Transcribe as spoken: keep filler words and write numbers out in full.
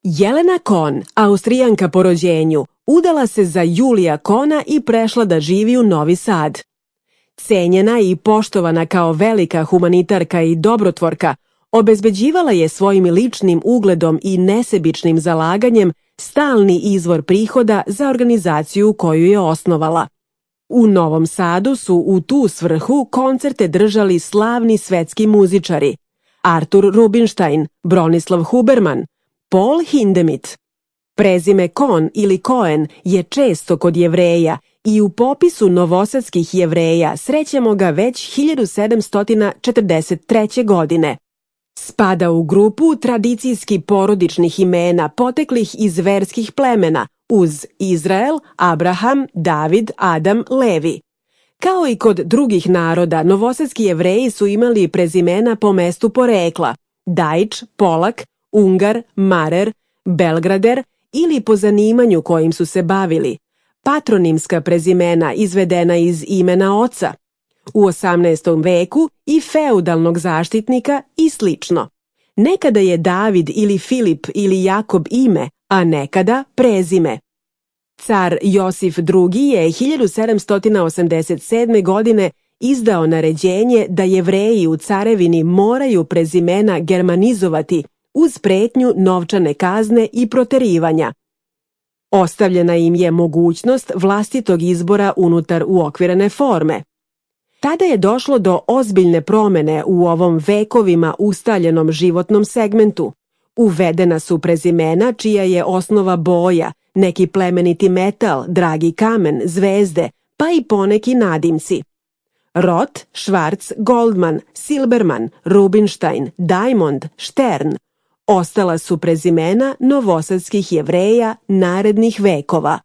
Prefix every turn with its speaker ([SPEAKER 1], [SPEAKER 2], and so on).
[SPEAKER 1] Jelena Kohn, Austrijanka po rođenju, udala se za Julija Kohna i prešla da živi u Novi Sad. Cenjena i poštovana kao velika humanitarka i dobrotvorka, obezbeđivala je svojim ličnim ugledom i nesebičnim zalaganjem stalni izvor prihoda za organizaciju koju je osnovala. U Novom Sadu su u tu svrhu koncerte držali slavni svetski muzičari Artur Rubinstein, Bronislav Huberman, Paul Hindemith. Prezime Kohn ili Cohen je često kod Jevreja i u popisu novosadskih Jevreja srećemo ga već hiljadu sedamsto četrdeset treće. godine. Spada u grupu tradicijski porodičnih imena poteklih iz verskih plemena uz Izrael, Abraham, David, Adam, Levi. Kao i kod drugih naroda, novosadski Jevreji su imali prezimena po mestu porekla: Dajč, Polak, Ungar, Marer, Belgrader ili po zanimanju kojim su se bavili, patronimska prezimena izvedena iz imena oca, u osamnaestom veku i feudalnog zaštitnika i slično. Nekada je David ili Filip ili Jakob ime, a nekada prezime. Car Josif drugi. je hiljadu sedamsto osamdeset sedme. godine izdao naređenje da Jevreji u carevini moraju prezimena germanizovati uz pretnju novčane kazne i proterivanja. Ostavljena im je mogućnost vlastitog izbora unutar uokvirene forme. Tada je došlo do ozbiljne promene u ovom vekovima ustaljenom životnom segmentu. Uvedena su prezimena čija je osnova boja, neki plemeniti metal, dragi kamen, zvezde, pa i poneki nadimci. Roth, Schwarz, Goldman, Silberman, Rubinstein, Diamond, Stern ostala su prezimena novosadskih Jevreja narednih vekova.